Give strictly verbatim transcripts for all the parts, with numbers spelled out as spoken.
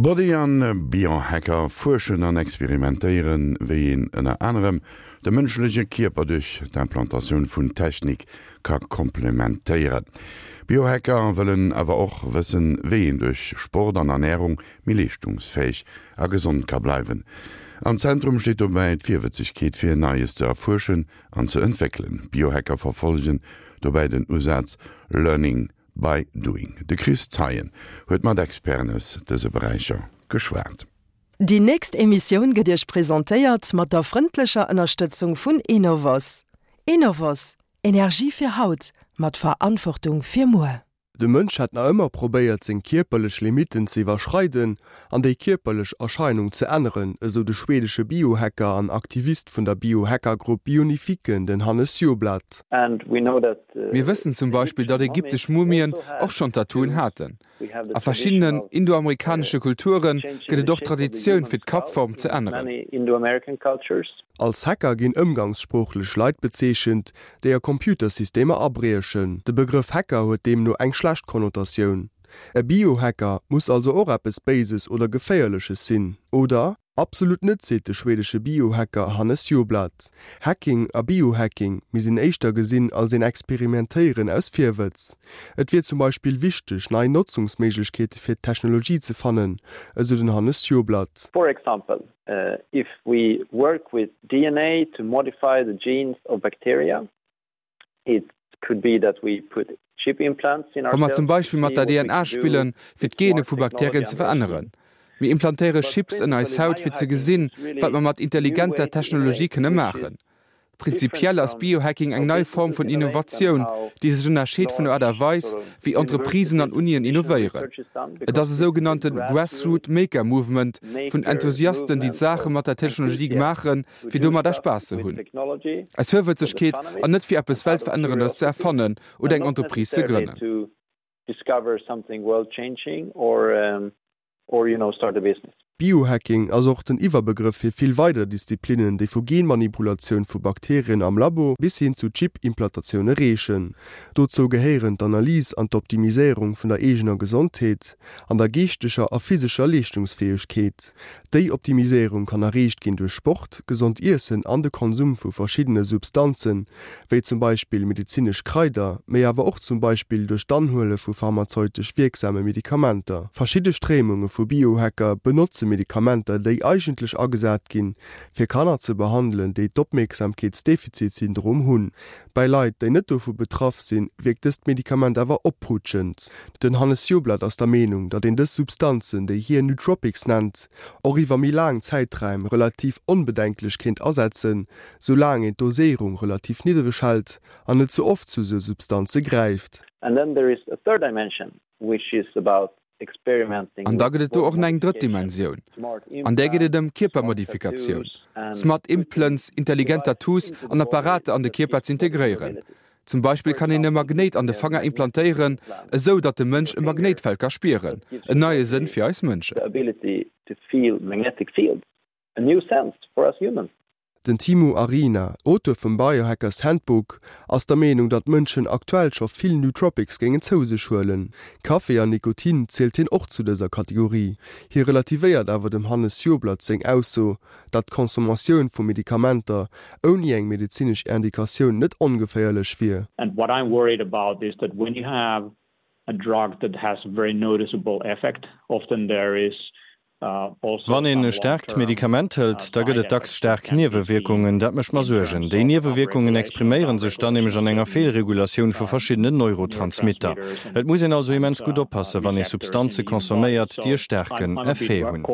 Body an Biohacker fuerschen an experimentéieren, wéi een ënner anerem de mënschleche Kierper duerch d'Implantatioun vun Technik ka komplementéieren. Biohacker wëllen awer och wëssen, wéi een duerch Sport an Ernärung méi leeschtungsfäeg a gesond ka bleiwen. Am Zentrum steet dobäi d'Virwëtzegkeet fir Neies ze erfuerschen an ze entwéckelen. Biohacker verfollegen dobäi den Usaz Learning by doing. De Chris Zeien huet mat Experten aus dëse Beräicher geschwat. Déi nächst Emissioun gëtt Iech presentéiert mat der frëndlecher Ënnerstëtzung vun Enovos. Enovos, Energie fir haut, mat Verantwortung fir muer. De Mënsch hat nach ëmmer probéiert seng kierperlech Limitten ze iwwerschreiden an déi kierperlech Erscheinung ze änneren, esou de schwedesche Biohacker an Aktivist vun der Biohackergrupp Bionifiken, den Hannes Sjöblad. Mir wëssen zum Beispill, datt ägyptesch Mumien och schonn Tattooen haten. A verschiddenen indoamerikanesche Kulture gëtt et och d'Traditioun, fir d'Kappform ze änneren. Als Hacker ginn ëmgangssproochlech Leit bezeechent, déi a Computersystemer abriechen. De Begrëff Hacker huet deemno eng schlecht Konnotatioun. E Biohacker muss also och eppes Béises oder Geféierleches sinn, oder? Absolut net, seet de schwedesche Biohacker Hannes Sjöblad. Hacking a Biohacking misst een éischter gesinn als een Experimentéieren aus Virwëtz. Et wier zum Beispill wichteg, nei Notzungsméiglechkeete fir d'Technologie ze fannen, esou den Hannes Sjöblad. For example, if we work with D N A to modify the genes of bacteria, it could be that we put chip implants in Wa mer zum Beispill mat der D N A spillen, fir d'Gene vu Bakterien ze veränneren. Mir implantéiere Chips an eis Haut fir ze gesinn, wat mer mat intelligenter Technologie kënne maachen. Prinzipiell ass Biohacking eng nei Form vun Innovatioun, déi sech ënnerscheet vun der Aart a Weis, wéi Entreprisen an Unien innovéieren. Et ass e sougenannte Grassroot Maker Movement vun Enthusiasten, déi d'Saache mat der Technologie maachen, fir domadder Spaass ze hunn. Aus Virwëtzegkeet an net fir eppes Weltverännerendes ze erfannen oder eng Entreprise ze grënnen. Discover something world changing or um, or you know start a business. Biohacking ass och den Iwwerbegrëff fir vill weider Disziplinnen, déi vu Genmanipulatioun vu Bakterien am Labo bis hin zu Chip-Implantatioune reechen. Dozou gehéieren d'Analys an d'Optimiséierung vun der eegener Gesondheet an der geeschteger a physescher Leeschtungsfäegkeet. Déi Optimiséierung kann erreecht ginn duerch Sport, gesond Iessen an de Konsum vu verschiddene Substanzen, wéi zum Beispill medezinesch Kraider, mee awer och zum Beispill duerch d'Anhuele vu pharmazeutesch wierksame Medikamenter. Verschidde Stréimunge vu Biohacker benotze Medikamenter, déi eigentlech agesat ginn, fir Kanner ze behandelen, déi d'Opmierksamkeetsdefizitsyndrom hunn. Bei Leit, déi net dovu betraff sinn, wierkt dëst Medikament awer opputschend. Den Hannes Sjöblad ass der Meenung, datt een dës Substanzen, déi hien Nootropics nennt, och iwwer méi laang Zäitraim relativ onbedenklech kéint asetzen, soulaang een d'Doséierung relativ niddereg hält an net ze oft zu sou Substanze gräift. And then there is a third dimension, which is about An da gëtt et do och nach eng drëtt Dimensioun. An där geet et ëm Kierpermodifikatioun, Smart Implants, intelligent Tattoos an Apparater an de Kierper ze integréieren. Zum Beispill kann een e Magnéit an de Fanger implantéieren, esou datt de Mënsch e Magnéitfeld ka spieren, en neie Sënn fir eis Mënschen. A new sense for us humans. Den Timo Arina, Auteur vum Biohackers Handbook, ass der Meenung, datt Mënschen aktuell scho vill Nootropics géingen zou sech huelen. Kaffi an Nikotin zielt hien och zu dëser Kategorie. Hie relativéiert awer dem Hannes Sjöblad seng Ausso, datt d'Consommatioun vu Medikamenter ouni eng medezinesch Indikatioun net ongeféierlech wier. And what I'm worried about is that when you have a drug that has a very noticeable effect, often there is Wann een e staarkt Medikament hëlt, da gëtt et dacks staark Niewewierkungen. Dat mécht mer Suergen. Déi Niewewierkungen expriméiere sech dann nämlech an enger Feelregulatioun vu verschiddenen Neurotransmitter. Et muss een also immens gutt oppassen, wann ee Substanze consomméiert, déi e staarken Effet hunn.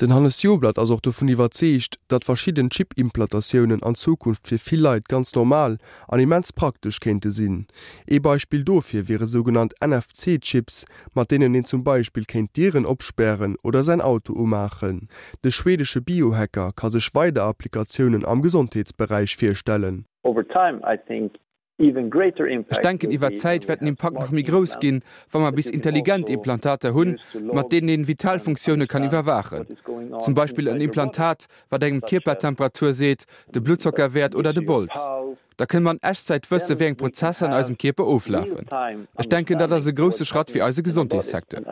Den Hannes Sjöblad ass och dovun iwwerzeegt, datt verschidden Chip-Implantatiounen an Zukunft fir vill Leit ganz normal an immens praktesch kéinte sinn. Ee Beispill dofir wiere sougenannt N F C-Chips, mat deenen een zum Beispill kéint Dieren opspären oder säin Auto umaachen. De schwedesche Biohacker ka sech weider Applikatiounen am Gesondheetsberäich virstellen. Over time, I think even greater Ech denken, iwwer d'Zäit wäert den Impakt nach méi grouss ginn, wa mer bis intelligent Implantater hunn, mat deenen een Vitalfunktioune kann iwwerwaachen. Zum Beispill en Implantat, wat engem d'Kierpertemperatur seet, de Bluttzockerwäert oder de Bols. Da kënne mer an Echtzäit wësse wéi eng Prozesser an eisem Kierper oflafen. Ech denken dat ass e grousse Schratt fir eise Gesondheetssecteur.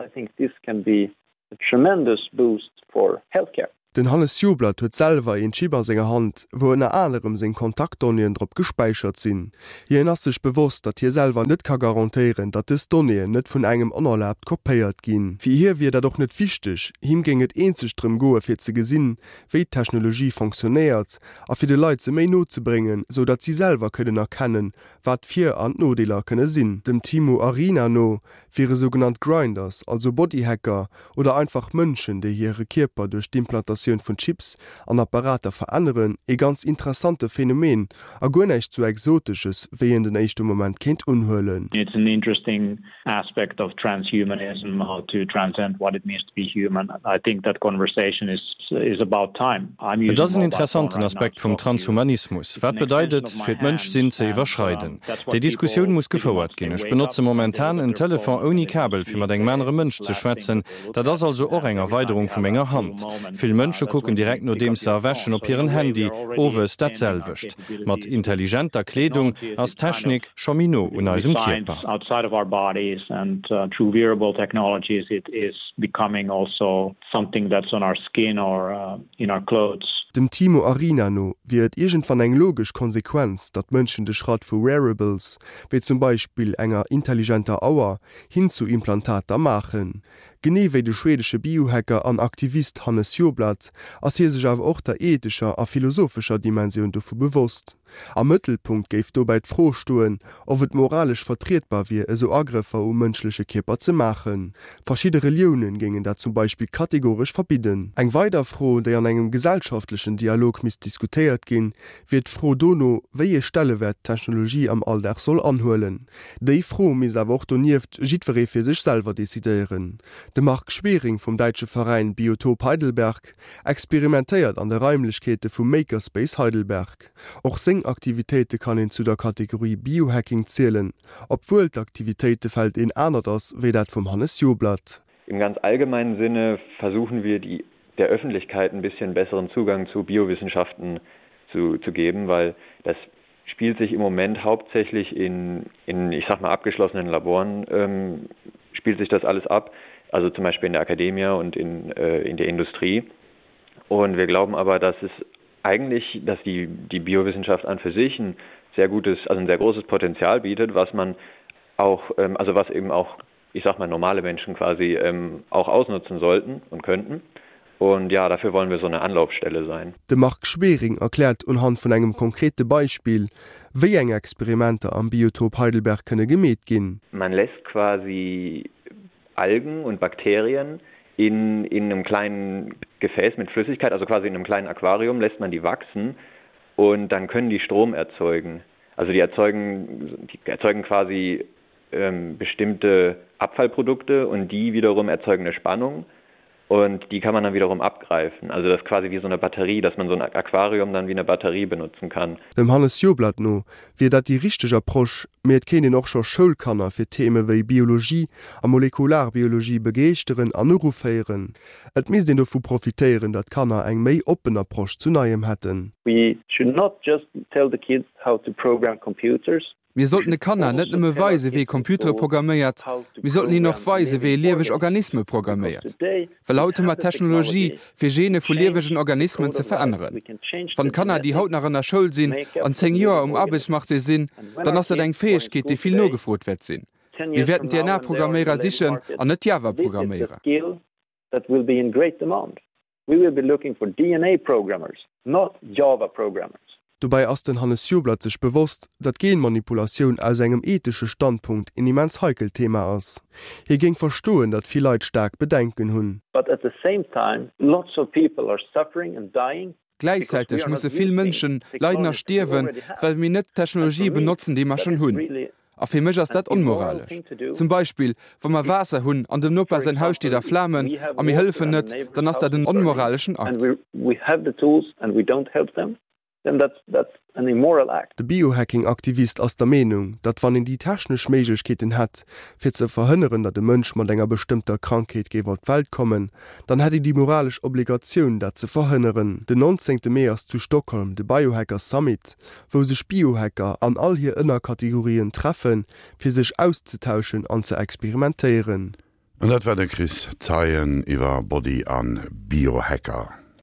Den Hannes Sjoblad huet selwer een Chip a senger Hand, wou ënner anerem seng Kontaktdonnéeën drop gespäichert sinn. Hien ass sech bewosst, datt hie selwer net ka garantéieren, datt dës Donnéeën net vun engem onerlaabt kopéiert ginn. Fir hie wier dat och net wichteg, him géing et eenzeg drëm goe fir ze gesinn, wéi d'Technologie fonctionnéiert a fir de Leit se méi no ze bréngen, sou datt si selwer kënnen erkennen, wat d'Vir an d'Nodeeler kënne sinn. Dem Timo Arina no wiere sougenannt Grinders, also Bodyhacker oder einfach Mënschen, déi hire Kierper duerch d'Implantatioun vun Chips an Apparater veränneren, ee ganz interessante Phänomen a guer näischt sou Exotesches, wéi een den éischte Moment kéint unhuelen. It's an interesting aspect of transhumanism, how to transcend what it means to be human. I think that conversation is is about time. I'm Et using ass en mobile phone interessanten right now Aspekt to vum talk to you. Transhumanismus. It's Wat an bedeit extension et, of my fir hand d'Mënschsinn ze and iwwerschreiden? that's Déi what Diskussioun people muss pretty gefouert much they ginn. Ech wake benotze up and they momentan look at en their Telefon phone and ouni they Kabel, see fir mat engem the anere Mënsch ze last thing schwätzen. that they look Dat ass at also och and eng every time Erweiderung you vu have menger a few Hand. moments Vill uh, Mënsche that's kucken when you direkt pick nodeems up se your phone. erwächen op So in a hiren way we Handy, are already owes dat extending our selwecht. Mat capabilities with intelligenter Kleedung technology. ass It's kind of d'Technik scho méi no un eisem science Kierper. outside of our bodies and uh, through wearable technologies it is becoming also something that's on our skin or uh, in our clothes. Dem Timo Arina no wier et iergendwann eng logesch Konsequenz, datt Mënschen de Schratt vu Wearables, wéi zum Beispill enger intelligenter Auer, hin zu Implantater maachen. Genee wéi de schwedesche Biohacker an Aktivist Hannes Sjoblad ass hie sech awer och der ethescher a philosophescher Dimensioun dovu bewosst. Am Mëttelpunkt géif dobäi d'Fro stoen, ob et moralesch vertrietbar wier, esou Agrëffer um mënschleche Kierper ze maachen. Verschidde Relioune géingen dat zum Beispill kategoresch verbidden. Eng weider Fro, déi an engem gesellschaftlechen Dialog misst diskutéiert ginn, wier d'Fro dono, wéi ee Stellewäert d'Technologie am Alldag soll anhuelen. Déi Fro misst awer och donieft jiddweree fir sech selwer decidéieren. De Marc Schwering vum däitsche Veräin Biotop Heidelberg experimentéiert an de Raimlechkeete vum Makerspace Heidelberg. Och seng Aktivitéite kann een zu der Kategorie Biohacking zielen, obwuel d'Aktivitéitefeld een anert ass wéi dat vum Hannes Sjoblad. Im ganz allgemeinen Sinne versuchen wir die der Öffentlichkeit ein bisschen besseren Zugang zu Biowissenschaften zu, zu geben, weil das spielt sich im Moment hauptsächlich in, in ich sag mal abgeschlossenen Laboren ähm, spielt sich das alles ab, also zum Beispiel in der Akademie und in, äh, in der Industrie. Und wir glauben aber, dass es eigentlich, dass die, die Biowissenschaft an für sich ein sehr gutes, also ein sehr großes Potenzial bietet, was man auch, ähm, also was eben auch, ich sag mal, normale Menschen quasi ähm, auch ausnutzen sollten und könnten. Und ja, dafür wollen wir so eine Anlaufstelle sein. De Marc Schwering erkläert unhand vun engem konkrete Beispill, wéi eng Experimenter am Biotop Heidelberg kënne gemeet ginn. Man lässt quasi Algen und Bakterien in, in einem kleinen Gefäß mit Flüssigkeit, also quasi in einem kleinen Aquarium lässt man die wachsen und dann können die Strom erzeugen. Also die erzeugen, die erzeugen quasi ähm, bestimmte Abfallprodukte und die wiederum erzeugen eine Spannung und die kann man dann wiederum abgreifen. Also das ist quasi wie so eine Batterie, dass man so ein Aquarium dann wie eine Batterie benutzen kann. Dem Hannes Sjoblad no wier dat déi richteg Approche, mee et kéint een och scho Schoulkanner fir Theme wéi Biologie a Molekularbiologie begeeschteren an eruféieren. Et misst een dovu profitéieren, datt d'Kanner eng méi oppen Approche zu Neiem hätten. We should not just tell the kids how to program computers. Mir sollten de Kanner net nëmme weisen, wéi ee Computere programméiert, mir sollten hinnen och weisen, wéi ee lieweg Organisme programméiert. Well haut hu mer d'Technologie, fir Gene vu liewegen Organismen ze veränneren. Wann d'Kanner, déi haut nach an der Schoul sinn, an zéng Joer um Aarbechtsmarché sinn, dann ass dat eng Fäegkeet, déi vill nogefrot wäert sinn. Mir wäerten D N A-Programméierer sichen an net Java-Programméierer. We will be looking for D N A programmers, not Java programmers. Dobäi ass den Hannes Sjoblad sech bewosst, datt Genmanipulatioun aus engem ethesche Standpunkt een immens heikelt Thema ass. Hie géing verstoen, datt vill Leit staark Bedenken hunn. But at the same time, lots of people are suffering and dying Gläichzäiteg musse vill Mënschen leiden a stierwen, well mir net d'Technologië benotzen, déi mer schonn hunn. A fir mech ass dat onmoralesch. Zum Beispill, wa mer Waasser hunn an dem Noper säin Haus steet a Flamen a mir hëllefen net, dann ass dat en onmoraleschen Akt. then that's, that's an immoral act. De Biohacking-Aktivist ass der Meenung, datt wann een déi technesch Méiglechkeeten hätt, fir ze verhënneren, datt e Mënsch mat enger bestëmmter Krankheet géif op d'Welt kommen, dann hätt een déi moralesch Obligatioun, dat ze verhënneren. Den nonzéngte Mee ass zu Stockholm de Biohacker Summit, wou sech Biohacker an all hir Ënnerkategorien treffen, fir sech auszetauschen an ze experimentéieren. An dat war de Chris Zeien iwwer Body an Biohacker.